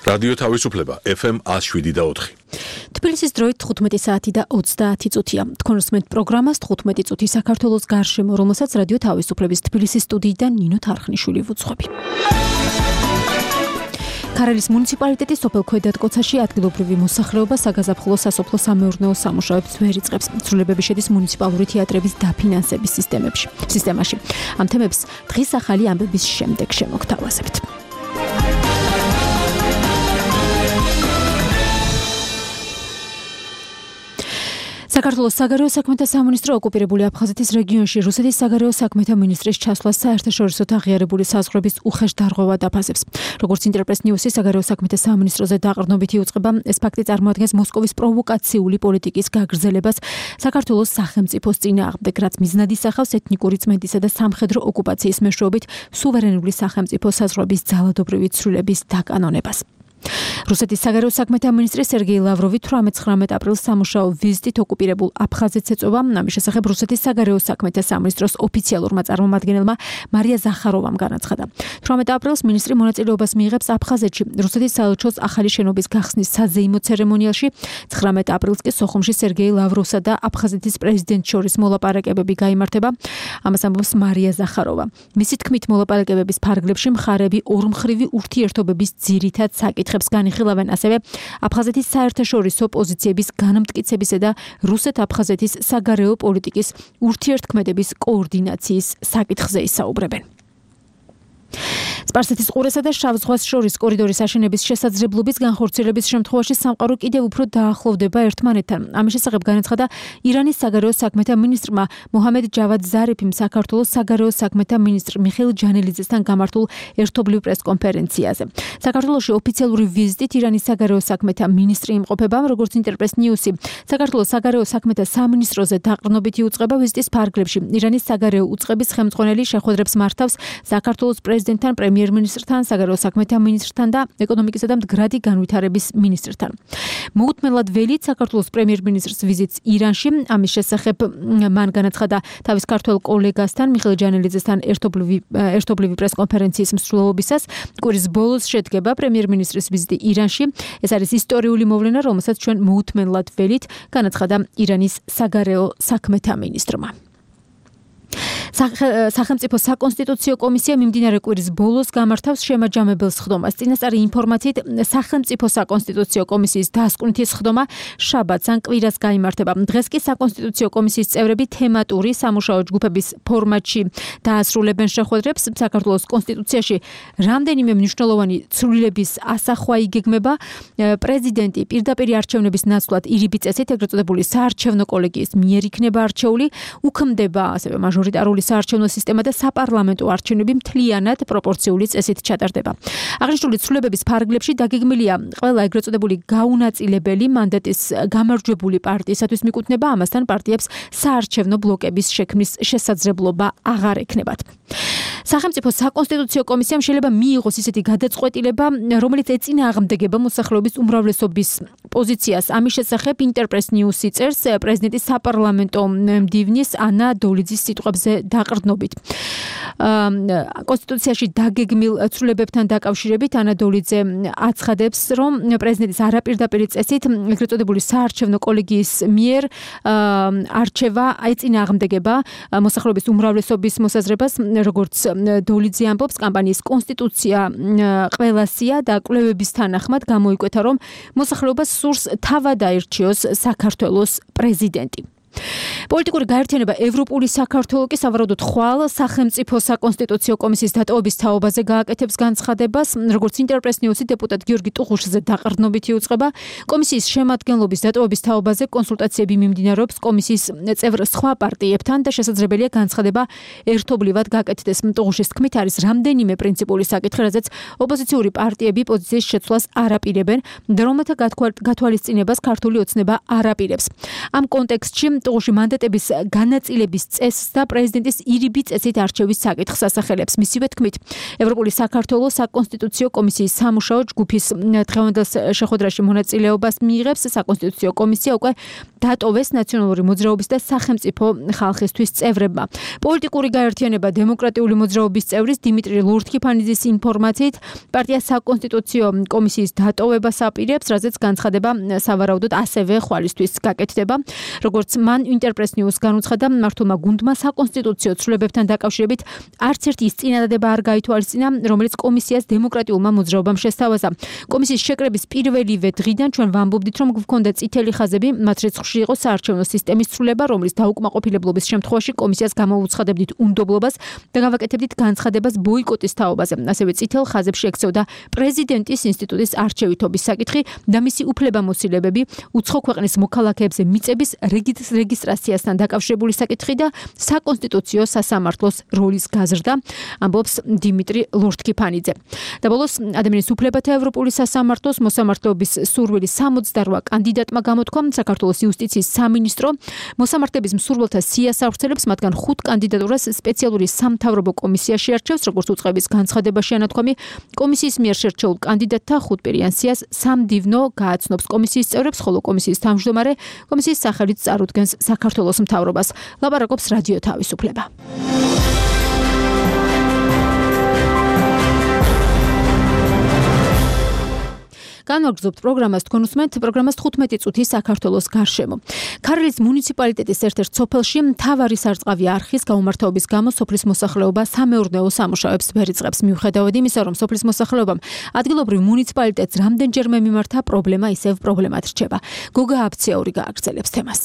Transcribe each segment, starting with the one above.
რადიო თავისუფლება FM 107.4. თბილისის დროით 15 საათი და 30 წუთია. თქვენ უსმენთ პროგრამას 15 წუთი საქართველოს გარშემო, რომელსაც რადიო თავისუფლების თბილისის სტუდიიდან ნინო თარხნიშვილი ვუძღვები. ქარელის მუნიციპალიტეტის სოფელ ქვედატკოცაში ადგილობრივი მოსახლეობა საგაზაფხულო სასოფლო სამეურნეო სამუშაოებს ვერ იწყებს. ცვლილებები შედის მუნიციპალური თეატრების დაფინანსების სისტემაში. ამ თემებს დღის ახალი ამბების შემდეგ შემოგთავაზებთ. საქართველოს საგარეო საქმეთა სამინისტრო ოკუპირებული აფხაზეთის რეგიონში რუსეთის საგარეო საქმეთა მინისტრის ჩასვლას საერთაშორისოდ აღიარებული საზღვრების უხეშ დარღვევა დაფასებს. როგორც ინტერპრეს ნიუსი საგარეო საქმეთა სამინისტროზე დაყრდნობით იუწყება, ეს ფაქტი წარმოადგენს მოსკოვის პროვოკაციული პოლიტიკის გაგრძელებას საქართველოს სახელმწიფოს წინააღმდეგ, რაც მიზნად ისახავს ეთნიკური წმენდისა და სამხედრო ოკუპაციის მეშვეობით სუვერენული სახელმწიფო საზღვრების ძალადობრივი ცვლილების დაკანონებას. რუსეთის საგარეო საქმეთა მინისტრი სერგეი ლავროვი 18-19 აპრილს სამუშაო ვიზიტით ოკუპირებულ აფხაზეთს ეწობა. ამის შესახებ რუსეთის საგარეო საქმეთა სამინისტროს ოფიციალურმა წარმომადგენელმა მარია ზახაროვამ განაცხადა. 18 აპრილს მინისტრი მონაწილეობას მიიღებს აფხაზეთში რუსეთის საელჩოს ახალი შენობის გახსნის საზეიმო ცერემონიალში. 19 აპრილს კი სოხუმში სერგეი ლავროვსა და აფხაზეთის პრეზიდენტს შორის მოლაპარაკებები გაიმართება. ამას ამბობს მარია ზახაროვა. მისი თქმით, მოლაპარაკებების ფარგლებში მხარები ორმხრივი ურთიერთობების ძირითად საკითხებს განიხილავენ, ასევე აფხაზეთის საერთაშორისო პოზიციების განმტკიცებისა და რუსეთ-აფხაზეთის საგარეო პოლიტიკის ურთიერთქმედების კოორდინაციის საკითხზე ისაუბრებენ. სპარსეთის ყურესა და შავ ზღვას შორის კორიდორის აშენების შესაძლებლობის განხორციელების შემთხვევაში სამყარო კიდევ უფრო დაახლოვდება ერთმანეთთან. ამის შესახებ განაცხადა ირანის საგარეო საქმეთა მინისტრმა მოჰამედ ჯავად ზარიფიმ საქართველოს საგარეო საქმეთა მინისტრ მიხეილ ჯანელიძესთან გამართულ ერთობლივ პრესკონფერენციაზე. საქართველოში ოფიციალური ვიზიტით ირანის საგარეო საქმეთა მინისტრი იმყოფება, როგორც ინტერპრეს ნიუსი. საქართველოს საგარეო საქმეთა სამინისტროზე დაყრდნობით იუწყება ვიზიტის ფარგლებში. ირანის საგარეო უწყების ხელმძღვანელი შეხვედრებს მართავს საქართველოს პრეზიდენტთან, პრემიერ-მინისტრთან, საგარეო საქმეთა მინისტრთან და ეკონომიკისა და მდგრადი განვითარების მინისტრთან. მოუთმენლად ველით საქართველოს პრემიერ-მინისტრს ვიზიტს ირანში. ამის შესახებ მან განაცხადა თავის ქართველ კოლეგასთან, მიხეილ ჯანელიძესთან ერთობლივი პრესკონფერენციის მსვლელობისას. კვირის ბოლოს შედგება პრემიერ-მინისტრის ვიზიტი ირანში. ეს არის ისტორიული მოვლენა, რომელსაც ჩვენ მოუთმენლად ველით განაცხადა ირანის საგარეო საქმეთა მინისტრმა. სახელმწიფო საკონსტიტუციო კომისია მიმდინარე კვირის ბოლოს გამართავს შემაჯამებელ სხდომას. წინასწარი ინფორმაციით, სახელმწიფო საკონსტიტუციო კომისიის დასკვნითი სხდომა შაბათს ან კვირას გაიმართება. დღეს კი საკონსტიტუციო კომისიის წევრები თემატური სამუშაო ჯგუფების ფორმატში დაასრულებენ შეხვედრებს. საქართველოს კონსტიტუციაში რამდენიმე მნიშვნელოვანი ცვლილების ასახვა იგეგმება. პრეზიდენტი პირდაპირი არჩევნების ნაცვლად ირიბი წესით, ეგრეთ წოდებული საარჩევნო კოლეგიის მიერ იქნება არჩეული, უქმდება ასევე მაჟორიტარული საარჩევნო სისტემა და საპარლამენტო არჩევნები მთლიანად პროპორციული წესით ჩატარდება. აღნიშნული ცვლილებების ფარგლებში დაგეგმილია ყველა ეგრეთ წოდებული გაუნაწილებელი მანდატის გამარჯვებული პარტიისათვის მიკუთვნება, ამასთან პარტიებს საარჩევნო ბლოკების შექმნის შესაძლებლობა აღარ ექნებათ. სახელმწიფო საკონსტიტუციო კომისიამ შეიძლება მიიღოს ისეთი გადაწყვეტილება, რომელიც ეწინააღმდეგება მოსახლეობის უმრავლესობის პოზიციას. ამის შესახებ ინტერპრეს ნიუსი წერს პრეზიდენტის საპარლამენტო მდივნის ანა დოლიძის სიტყვებზე დაყრდნობით. კონსტიტუციაში დაგეგმილ ცვლილებებთან დაკავშირებით ანა დოლიძე აცხადებს, რომ პრეზიდენტის არაპირდაპირი წესით ეგრეთ წოდებული საარჩევნო კოლეგიის მიერ არჩევა ეწინააღმდეგება მოსახლეობის უმრავლესობის მოსაზრებას, როგორც დოლიძე ამბობს, კამპანიის კონსტიტუცია ყველასია და კვლევების თანახმად გამოიკვეთა, რომ მოსახლეობას სურს თავად აირჩიოს საქართველოს პრეზიდენტი. პოლიტიკური გაერთიანება ევროპული საქართველო კი სავარაუდოდ ხვალ სახელმწიფო საკონსტიტუციო კომისიის დატოვების თაობაზე გააკეთებს განცხადებას. როგორც ინტერპრეს ნიუსი დეპუტატ გიორგი ტუღუშიძე დაყრდნობით იუწყება, კომისიის შემადგენლობის დატოვების თაობაზე კონსულტაციები მიმდინარეობს კომისიის წევრ სხვა პარტიებთან და შესაძლებელია განცხადება ერთობლივად გააკეთდეს. ტუღუშის თქმით, არის რამდენიმე პრინციპული საკითხი, რაზეც ოპოზიციური პარტიები პოზიციის შეცვლას არ აპირებენ და რომელთა გათვალისწინებას ქართული ოცნება არ აპირებს. ამ კონტექსტში საკმაყოფილებულში მანდატების განაწილების წესს და პრეზიდენტის ირიბი წესით არჩევის საკითხს ასახელებს. მისივე თქმით, ევროპული საქართველოს საკონსტიტუციო კომისიის სამუშაო ჯგუფის დღევანდელ შეხვედრაში მონაწილეობას მიიღებს. საკონსტიტუციო კომისია უკვე დატოვეს ნაციონალური მოძრაობის და სახელმწიფო ხალხისთვის წევრებმა. პოლიტიკური გაერთიანება დემოკრატიული მოძრაობის წევრის დიმიტრი ლორთქიფანიძის ინფორმაციით, პარტია საკონსტიტუციო კომისიის დატოვებას აპირებს, რაზეც განცხადება სავარაუდოდ ასევე ხვალისთვის გაკეთდება. როგორც მან ინტერპრეს ნიუს განუცხადა, მმართველმა გუნდმა საკონსტიტუციო ცვლილებებთან დაკავშირებით არც ერთი ის წინადადება არ გაითვალისწინა, რომელიც კომისიას დემოკრატიულმა მოძრაობამ შესთავაზა. კომისიის შეკრების პირველივე დღიდან ჩვენ ვამბობდით, რომ გვქონდა წითელი ხაზები, მათ რიცხვში იყო საარჩევნო სისტემის ცვლილება, რომლის დაუკმაყოფილებლობის შემთხვევაში კომისიას გამოვუცხადებდით უნდობლობას და გავაკეთებდით განცხადებას ბოიკოტის თაობაზე. ასევე წითელ ხაზებში ექცეოდა პრეზიდენტის ინსტიტუტის არჩევითობის საკითხი და მისი უფლებამოსილებები, უცხო ქვეყნის მოქალაქეებზე მიწების რეგისტრაციასთან დაკავშირებული საკითხი და საკონსტიტუციო სასამართლოს როლის გაზრდა, ამბობს დიმიტრი ლორთქიფანიძე. და ბოლოს ადამიანის უფლებათა ევროპული სასამართლოს მოსამართლეობის სურვილი 68 კანდიდატმა გამოთქვა. საქართველოს იუსტიციის სამინისტრო მოსამართლეების მსურველთა სიას ავრცელებს, მათგან 5 კანდიდატურას სპეციალური სამთავრობო კომისია შეარჩევს, როგორც უწყების განცხადებაში ანათქვამი. კომისიის მიერ შერჩეულ კანდიდატთა 5 პირიან სიას სამდივნო გააცნობს კომისიის წევრებს, ხოლო კომისიის თავმჯდომარე კომისიის სახელით წარუდგენს საქართველოს მთავრობას. ლაპარაკობს რადიო თავისუფლება. განვაგრძობთ პროგრამას, თქვენ უსმენთ პროგრამას 15 წუთი საქართველოს გარშემო. ქარელის მუნიციპალიტეტის ერთ-ერთ სოფელში მთავარი სარწყავი არხის გაუმართლობის გამო სოფლის მოსახლეობა სამეურნეო სამუშაოებს ვერ იწყებს. მიუხედავად იმისა, რომ სოფლის მოსახლეობამ ადგილობრივ მუნიციპალიტეტს რამდენჯერმე მიმართა, პრობლემა ისევ პრობლემად რჩება. გოგა აფციაური გააგრძელებს თემას.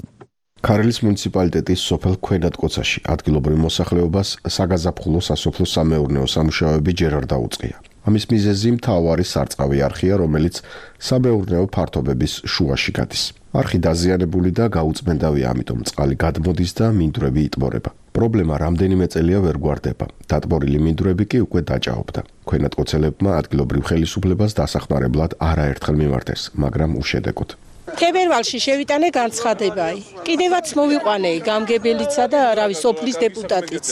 ქარელის მუნიციპალიტეტის სოფელ ქვენატკოცაში ადგილობრივ მოსახლეობას საგაზაფხულო სასოფლო სამეურნეო სამუშაოები ჯერ არ დაუწყია. ამის მიზეზი მთავარი სარწყავი არხია, რომელიც სამეურნეო ფართობების შუაში გადის. არხი დაზიანებული და გაუწმენდავია, ამიტომ წყალი გადმოდის და მინდვრები იტბორება. პრობლემა რამდენიმე წელია ვერ გვარდება. დატბორილი მინდვრები კი უკვე დაჭაობდა. ქვენატკოცელებმა ადგილობრივ ხელისუფლებას დასახმარებლად არაერთხელ მიმართეს, მაგრამ უშედეგოდ. თებერვალში შევიტანე განცხადება. კიდევაც მოვიყვანე გამგებელიცა და რავი სოფლის დეპუტატიც.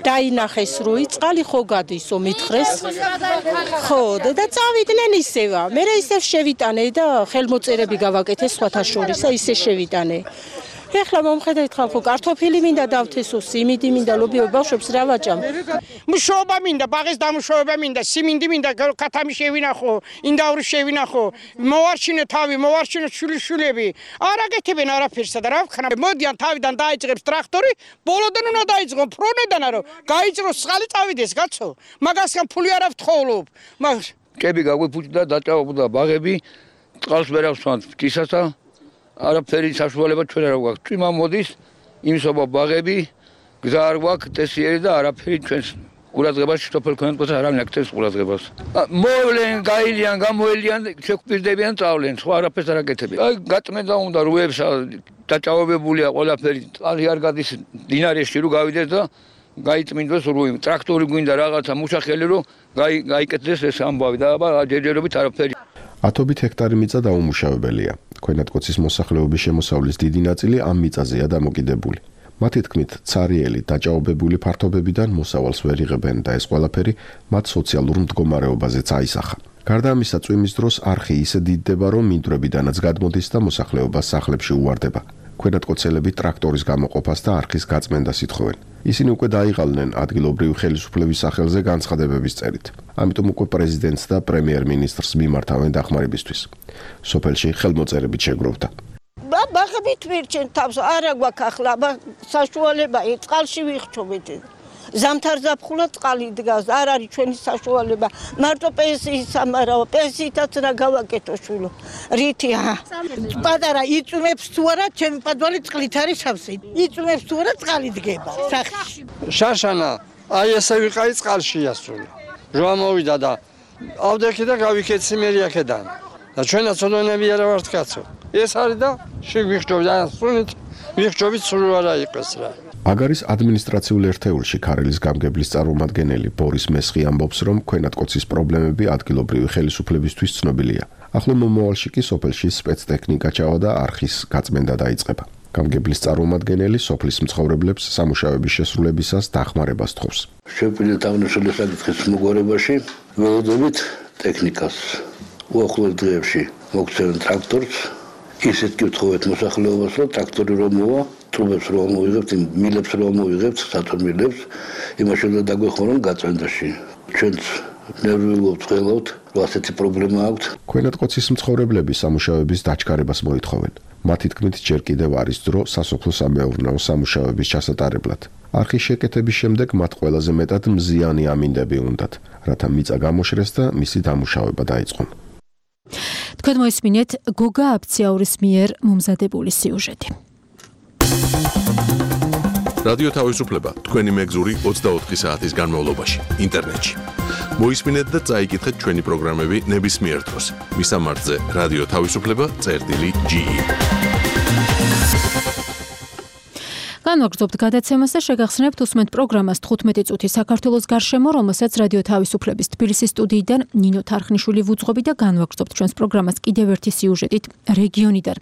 დაინახეს როი წყალი ხო გადისო მითხრეს. ხო და წავიდნენ ისევა. მე ისევ შევიტანე და ხელმოწერები გავაკეთე სხვათა შორის, ისე შევიტანე. ეხლა მომხედავთ ხალხო, კარტოფილი მინდა დავთესო, სიმინდი მინდა, ლობიო ბავშვებს რა ვაჭამ. მუშაობა მინდა, ბაღის დამუშავება მინდა, სიმინდი მინდა, კათამი შევინახო, ინდაური შევინახო, მოვარჩინე თავი, მოვარჩინე შვილიშვილები. არ აკეთებენ არაფერსა და რა ვქნა. მოდიან თავიდან დაიჭრებს ტრაქტორი, ბოლოდან უნდა დაიწყო ფრონედანა რომ გაიჭროს წყალი წავიდეს, კაცო. მაგასგან ფული არ ავთხოვლობ. კები გაგვიფუჭდა, დაჭაობდა ბაღები, წყალს ვერ ავსვამთ კისასა. არაფერი საშუალება ჩვენ არ გვაქვს. წვიმა მოდის, იმსობა ბაღები, გზა არ გვაქვს, ტესიერი და არაფერი ჩვენს ყურადღებაში სოფელ ქვენატკოცას არავინ აქცევს ყურადღებას. მოვლენ, გაილიან, გამოელიან, შეგვპირდებიან, წავლენ, სხვა არაფერს არ აკეთებენ. აი გაწმენდა უნდა რუებს დაჭაობებულია ყველაფერი, წყალი არ გადის დინარეში რომ გავიდეს და გაიწმინდოს რუი. ტრაქტორი გვინდა რაღაცა მუშახელი რომ გაიკეთდეს ეს ამბავი და აბა ჯერჯერობით არაფერი. ათობით ჰექტარი მიწა დაუმუშავებელია. ქვენატკოცის მოსახლეობის შემოსავლის დიდი ნაწილი ამ მიწაზეა დამოკიდებული. მათი თქმით, ცარიელი დაჭაობებული ფართობებიდან მოსავალს ვერ იღებენ და ეს ყველაფერი მათ სოციალურ მდგომარეობაზეც აისახა. გარდა ამისა, წვიმის დროს არხი ისე დიდდება, რომ მინდვრებიდანაც გადმოდის და მოსახლეობა სახლებში უვარდება. ქვენატკოცელები ტრაქტორის გამოყოფას და არხის გაწმენდას ითხოვენ. ისინი უკვე დაიღალნენ ადგილობრივი ხელისუფლების სახელზე განცხადებების წერით. ამიტომ უკვე პრეზიდენტს და პრემიერ-მინისტრს მიმართავენ დახმარებისთვის. სოფელში ხელმოწერებით შეგროვდა. ბაღებით ვირჩენ თავს, არა გვაქვს ახლა, საშუალება წყალში ვიხჩობით. ზამთარ ზაფხულად წყალი დგას, არ არის ჩვენი საშუალება. მარტო პენსიის სამარაო, პენსიითაც რა გავაკეთო შვილო. რითი პატარა იწვიმებს თუ არა, ჩემი პადვალი წყლით არის სავსე. იწვიმებს თუ არა, წყალი დგება სახლში. შაშანა, აი ესე ვიყავი წყალში ასული. ჟვა მოვიდა და ავდექი და გავიქეცი მერიაკედან. და ჩვენაც ოდონები არა ვართ კაცო. ეს არის და შეგვიხჯობ და სულით ვიხჯობით სულ არა იყოს რა. აგარის ადმინისტრაციულ ერთეულში ქარელის გამგებლის წარმომადგენელი ბორის მესხი ამბობს, რომ ქვენატკოცის პრობლემები ადგილობრივი ხელისუფლებისთვის ცნობილია. ახლო მომავალში კი სოფელში სპეცტექნიკა ჩავა და არხის გაწმენდა დაიწყება. გამგებლის წარმომადგენელი სოფლის მცხოვრებლებს სამუშაოების შესრულებისას დახმარებას თხოვს. შეგვიძლია აღნიშნული საკითხის მოგვარებაში ველოდებით ტექნიკას უახლოეს დღეებში მოგცემენ ტრაქტორს, ისეთ კითხოვეთ მოსახლეობას, რომ ტრაქტორი რომ მოვა, ტრუბებს რომ მოვიღებთ, მილებს რომ მოვიღებთ, სათორმილებს, იმაში უნდა დაგვეხმაროთ გაწმენდაში. ჩვენც ნერვიულობთ, ხელობთ, რომ ასეთი პრობლემა აქვს. ქვენატყოცის მცხოვრებლები სამუშაოების დაჩქარებას მოითხოვენ. მათი თქმით, ჯერ კიდევ არის დრო სასოფლო-სამეურნეო სამუშაოების ჩასატარებლად. არხის შეკეთების შემდეგ მათ ყველაზე მეტად მზიანი ამინდები უნდათ, რათა მიწა გამოშრეს და მისი დამუშავება დაიწყონ. თქვენ მოისმინეთ გოგა აფციაურის მიერ მომზადებული სიუჟეტი. რადიო თავისუფლება თქვენი მეგზური 24 საათის განმავლობაში ინტერნეტში. მოისმინეთ და წაიკითხეთ ჩვენი პროგრამები ნებისმიერ დროს. მისამართზე რადიო თავისუფლება.ge. განვაგრძობთ გადაცემას და შეგახსენებთ უსმენთ პროგრამას 15 წუთი საქართველოს გარშემო, რომელსაც რადიო თავისუფლების თბილისის სტუდიიდან ნინო თარხნიშვილი ვუძღვები და განვაგრძობთ ჩვენს პროგრამას კიდევ ერთი სიუჟეტით რეგიონიდან.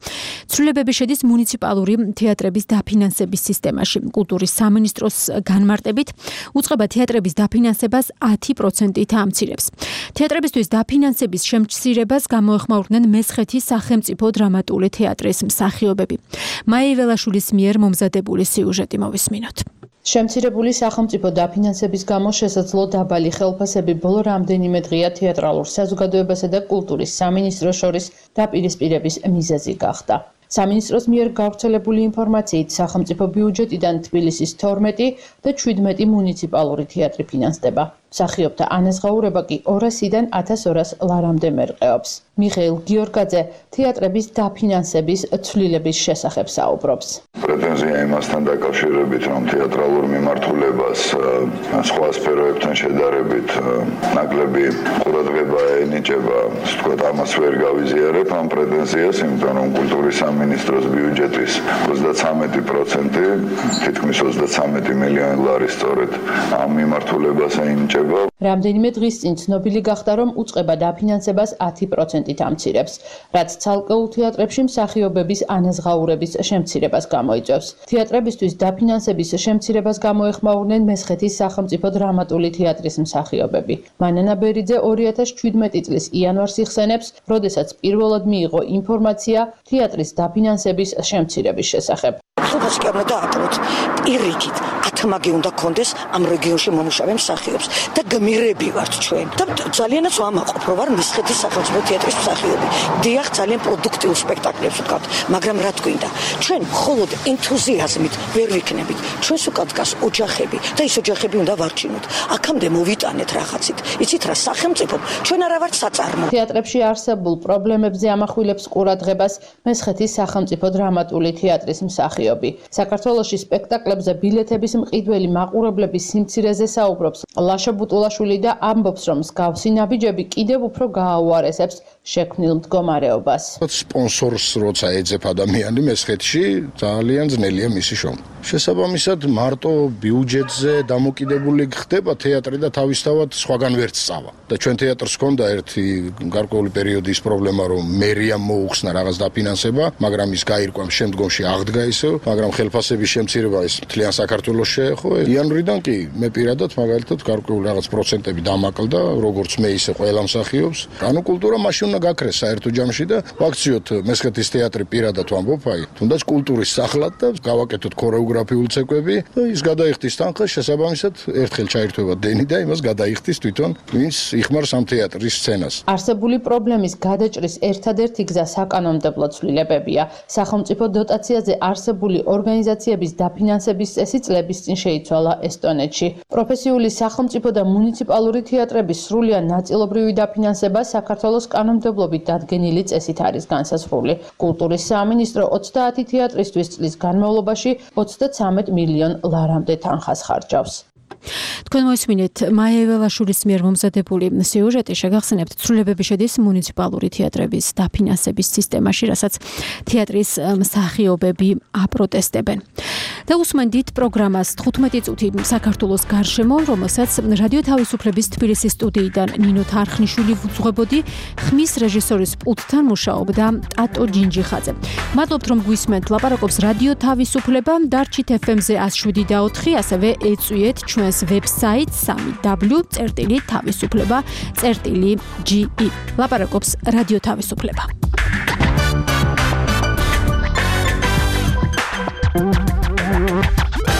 ცვლილებები შედის მუნიციპალური თეატრების დაფინანსების სისტემაში. კულტურის სამინისტროს განმარტებით უწყება თეატრების დაფინანსებას 10%-ით ამცირებს. თეატრებისთვის დაფინანსების შემცირებას გამოეხმაურნენ მესხეთის სახელმწიფო დრამატული თეატრის მსახიობები. მაია ველაშვილის მიერ მომზადებული სიუჟეტი მოვისმინოთ. შემცირებული სახელმწიფო დაფინანსების გამო შესაძლო დაბალი ხელფასები ბოლო რამდენიმე დღეა თეატრალურ საზოგადოებასა და კულტურის სამინისტროს შორის დაპირისპირების მიზეზი გახდა. სამინისტროს მიერ გავრცელებული ინფორმაციით სახელმწიფო ბიუჯეტიდან თბილისის 12 და 17 მუნიციპალური თეატრი ფინანსდება. მსახიობთა ანაზღაურება კი 200-დან 1200 ლარამდე მერყეობს. მიხეილ გიორგაძე თეატრების დაფინანსების ცვლილების შესახებ საუბრობს. პრეტენზია იმასთან დაკავშირებით, რომ თეატრალურ მიმართულებას სხვა სფეროებთან შედარებით ნაკლები ყურადღება ენიჭება, ვთქვათ, ამას ვერ გავიზიარებ ამ პრეტენზიას, იმიტომ რომ კულტურის სამინისტროს ბიუჯეტის 33%, თითქმის 33 მილიონი ლარი სწორედ ამ მიმართულებას ენიჭება. რამდენიმე დღის წინ ცნობილი გახდა, რომ უწყება დაფინანსებას 10%-ით ამცირებს, რაც ცალკეულ თეატრებში მსახიობების ანაზღაურების შემცირებას გამოიწვევს. თეატრებისთვის დაფინანსების შემცირებას გამოეხმაურნენ მესხეთის სახელმწიფო დრამატული თეატრის მსახიობები. მანანა ბერიძე 2017 წლის იანვარს იხსენებს, როდესაც პირველად მიიღო ინფორმაცია თეატრის დაფინანსების შემცირების შესახებ. სულფასი კი უნდა დაატროთ პირიქით 10 მაგი უნდა კონდეს ამ რეგიონში მომუშავე მსახიობს და გმირები ვართ ჩვენ და ძალიანაც ვამაყობ რომ ვარ მესხეთის სახელმწიფო თეატრის მსახიობი. დიახ, ძალიან პროდუქტიულ სპექტაკლებს ვდგავთ, მაგრამ რა თქინდა, ჩვენ მხოლოდ ენთუზიაზმით ვერ ვიქნებით. ჩვენს უკან დგას ოჯახები და ის ოჯახები უნდა ვარჩინოთ. აქამდე მოვიტანეთ რაღაცით. იცით რა, სახელმწიფომ ჩვენ არა ვართ საწარმო. თეატრებში არსებულ პრობლემებზე ამახვილებს ყურადღებას მესხეთის სახელმწიფო დრამატული თეატრის მსახიობი. საქართველოში სპექტაკლებზე ბილეთების მყიდველი მაყურებლების სიმცირეზე საუბრობს ლაშა ბუტულაშვილი და ამბობს, რომ მსგავსი ნაბიჯები კიდევ უფრო გააუარესებს შექმნილ მდგომარეობას. სპონსორს როცა ეძებ ადამიანი მესხეთში, ძალიან ძნელია მისი შრომა. შესაბამისად, მარტო ბიუჯეტზე დამოკიდებული ხდება თეატრი და თავისთავად სხვაგან ვერც სწავა. და ჩვენ თეატრს ჰქონდა ერთი გარკვეული პერიოდი ის პრობლემა, რომ მერიამ მოუხსნა რაღაც დაფინანსება, მაგრამ ის გაირკვა შემდგომში აღდგა ისევ, მაგრამ ხელფასების შემცირება ის მთლიან საქართველოს შეეხო. იანვრიდან კი მე პირადად მაგალითად გარკვეული რაღაც პროცენტები დამაკლდა, როგორც მე ისე ყველა მსახიობს. ანუ კულტურა მაშინ უნდა გაქრეს საერთო ჯამში და ვაქციოთ მესხეთის თეატრი პირადად ვამბობ, აი, თუნდაც კულტურის სახლად და გავაკეთოთ ქორეოგრაფიული ცეკვები და ის გადაიხდის თანხა, შესაბამისად ერთხელ ჩაირთვება დენი და იმას გადაიხდის თვითონ ვინც იხმარს ამ თეატრის სცენას. არსებული პრობლემის გადაჭრის ერთადერთი გზა საკანონმდებლო ცვლილებებია. სახელმწიფო დოტაციაზე არსებული ორგანიზაციების დაფინანსების წესი წლების წინ შეიცვალა ესტონეთში. პროფესიული სახელმწიფო და მუნიციპალური თეატრების სრულიად ნაწილობრივი დაფინანსება საქართველოს კანონმდებლობით დადგენილი წესით არის განსაზღვრული. კულტურის სამინისტრო 30 თეატრისთვის წლის განმავლობაში 33 მილიონ ლარამდე თანხას ხარჯავს. თქვენ მოისმინეთ მაია ველაშვილის მიერ მომზადებული სიუჟეტი, შეგახსენებთ ცვლილებები შედის მუნიციპალური თეატრების დაფინანსების სისტემაში, რასაც თეატრის მსახიობები აპროტესტებენ. და უსმენდით პროგრამას 15 წუთი საქართველოს გარშემო, რომელსაც რადიო თავისუფლების თბილისის სტუდიიდან ნინო თარხნიშვილი ვუძღვებოდი, ხმის რეჟისორის პულტთან მუშაობდა ტატო ჯინჯიხაძე. მადლობთ რომ გვისმენთ, ლაპარაკობს რადიო თავისუფლება, დარჩით FM-ზე 107.4, ასევე ეწვიეთ ჩვენს ვებსაიტს www.თავისუფლება.ge. ლაპარაკობს რადიო თავისუფლება.